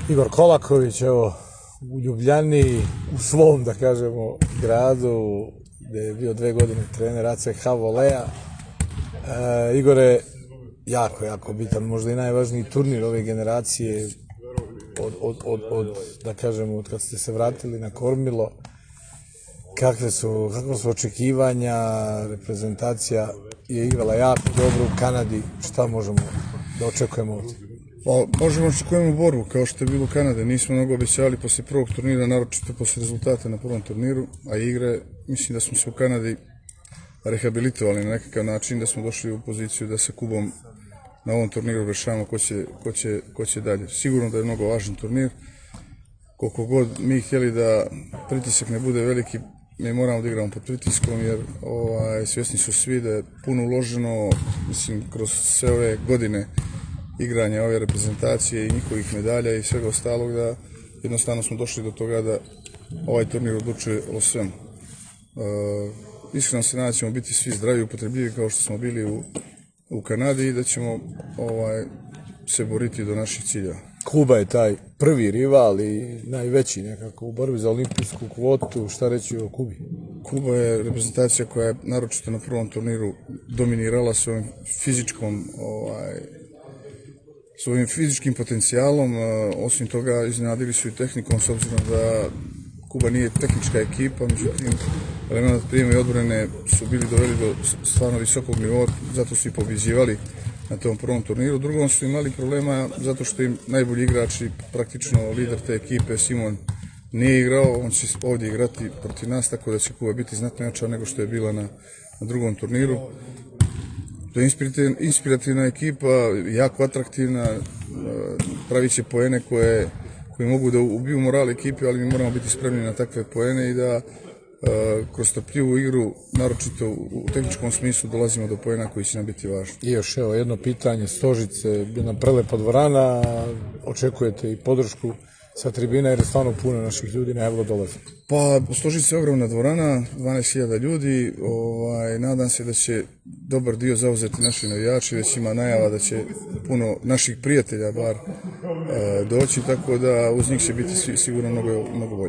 Igor Kolaković, evo, u Ljubljani, u svom, da kažemo, gradu, gde je bio 2 godine trener ACH Volea. Igore, jako bitan, možda i najvažniji turnir ove generacije da kažemo, od kad ste se vratili na kormilo. Kakva su očekivanja, reprezentacija je igrala jako dobro u Kanadi, šta možemo da očekujemo ovdje? Pa, možemo očekujemo borbu, kao što je bilo u Kanade. Nismo mnogo obećali posle prvog turnira, naročito posle rezultata na prvom turniru, a igre, mislim da smo se u Kanadi rehabilitovali na nekakav način, da smo došli u poziciju da sa Kubom na ovom turniru rešavamo ko će dalje. Sigurno da je mnogo važan turnir. Koliko god mi htjeli da pritisak ne bude veliki, mi moramo da igramo pod pritiskom, jer svjesni su svi da je puno uloženo, mislim, kroz sve ove godine igranja ove reprezentacije i njihovih medalja i svega ostalog, da jednostavno smo došli do toga da ovaj turnir odlučuje o svemu. Iskreno se nadam da ćemo biti svi zdravi i upotrebljivi kao što smo bili u Kanadi i da ćemo se boriti do naših ciljeva. Kuba je taj prvi rival i najveći nekako u borbi za olimpijsku kvotu. Šta reći o Kubi? Kuba je reprezentacija koja je naročito na prvom turniru dominirala svojim fizičkim potencijalom. Osim toga, iznenadili su i tehnikom, s obzirom da Kuba nije tehnička ekipa, međutim, elemenat prijema i odbrane su bili doveli do stvarno visokog nivoa, zato su i pobjeđivali na tom prvom turniru. Drugom su imali problema zato što im najbolji igrač i praktično lider te ekipe, Simon, nije igrao. On će ovdje igrati protiv nas, tako da će Kuba biti znatno jača nego što je bila na drugom turniru. To je inspirativna ekipa, jako atraktivna, pravit će poene koji mogu da ubiju moral ekipe, ali mi moramo biti spremni na takve poene i da kroz strpljivu igru, naročito u tehničkom smislu, dolazimo do poena koji će nam biti važni. I još evo jedno pitanje, Stožice, jedna prelepa dvorana, očekujete i podršku sa tribina jer je stvarno puno naših ljudi najavilo dolaze? Pa, Stožice je ogromna dvorana, 12.000 ljudi, nadam se da će dobar dio zauzeti naši navijači, već ima najava da će puno naših prijatelja bar doći, tako da uz njih će biti sigurno mnogo bolje.